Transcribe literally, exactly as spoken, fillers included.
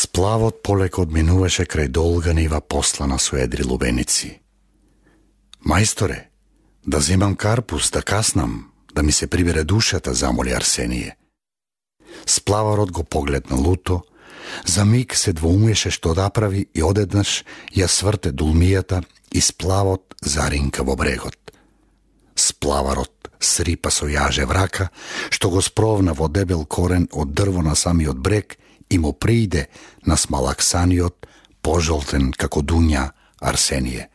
Сплавот полека одминуваше крај долга нива послана со едри лубеници. Мајсторе, да земам карпус, да каснам, да ми се прибере душата, замоли Арсение. Сплаварот го погледна луто, за миг се двоумеше што да прави и одеднаш ја сврте дулмијата и сплавот заринка во брегот. Сплаварот срипа со јаже врака, што го спровна во дебел корен од дрво на самиот брег и му прииде на смалаксаниот, пожолтен како дуња Арсение.